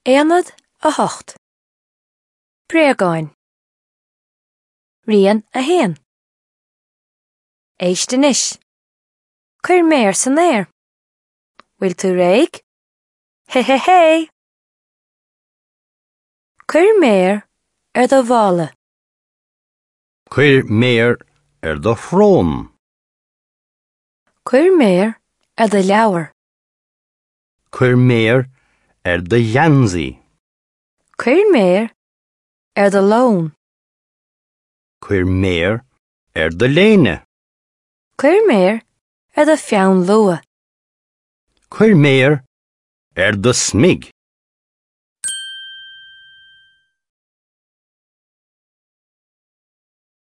Aonad 8. Bréagáin. Rian 1. Éist anois. Cuir méar san aer. Bhfuil tú réidh? Hé hé hé! Cuir méar ar do mhála. Cuir méar ar do shrón. Cuir méar ar do leabhar. Cuir méar ar do gheansaí. Cuir méar ar do lón. Cuir méar ar do léine. Cuir méar ar do pheann luaidhe. Cuir méar ar do smig.